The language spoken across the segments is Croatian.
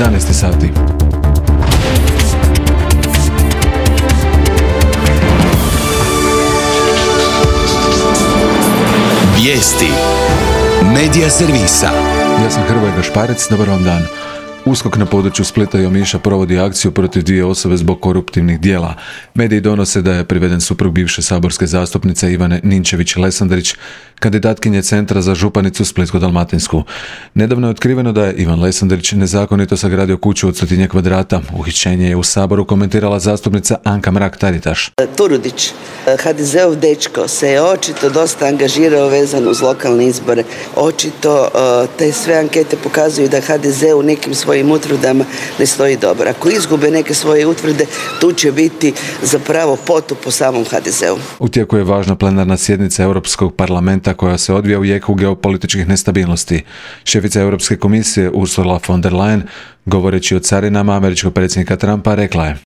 11 sati. Vijesti Medija servisa. Ja sam Hrvoje Gašparec, dobar vam dan. USKOK na području Splita i Omiša provodi akciju protiv 2 osobe zbog koruptivnih djela. Mediji donose da je priveden suprug bivše saborske zastupnice Ivane Ninčević-Lesandrić, kandidatkinje Centra za županicu Splitsko-dalmatinsku. Nedavno je otkriveno da je Ivan Lesandrić nezakonito sagradio kuću od 100 kvadrata. Uhićenje je u Saboru komentirala zastupnica Anka Mrak-Taritaš. Turudić, HDZ-ov dečko, se je očito dosta angažirao vezano uz lokalne izbore. Očito te sve ankete pokazuju da HDZ u nekim svojim utvrdama ne stoji dobro. Ako izgube neke svoje utvrde, tu će biti zapravo potop po samom HDZ-u. U tijeku je važna plenarna sjednica Europskog parlamenta koja se odvija u jeku geopolitičkih nestabilnosti. Šefica Europske komisije Ursula von der Leyen, govoreći o carinama američkog predsjednika Trumpa, rekla je: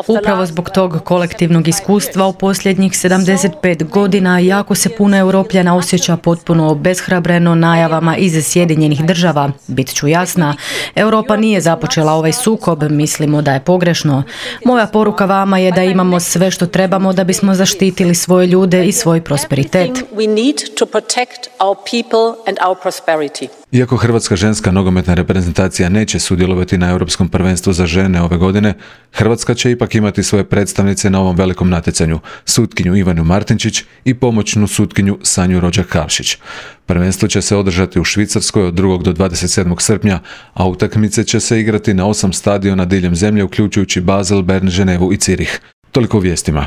Upravo zbog tog kolektivnog iskustva u posljednjih 75 godina jako se puno Europljana osjeća potpuno obeshrabreno najavama iz Sjedinjenih država. Bit ću jasna, Europa nije započela ovaj sukob, mislimo da je pogrešno. Moja poruka vama je da imamo sve što trebamo da bismo zaštitili svoje ljude i svoj prosperitet. Iako hrvatska ženska nogometna reprezentacija neće sudjelovati na Europskom prvenstvu za žene ove godine, Hrvatska će ipak imati svoje predstavnice na ovom velikom natjecanju, sutkinju Ivanu Martinčić i pomoćnu sutkinju Sanju Rođak-Kavšić. Prvenstvo će se održati u Švicarskoj od 2. do 27. srpnja, a utakmice će se igrati na 8 stadiona diljem zemlje, uključujući Basel, Bern, Ženevu i Cirih. Toliko u vijestima.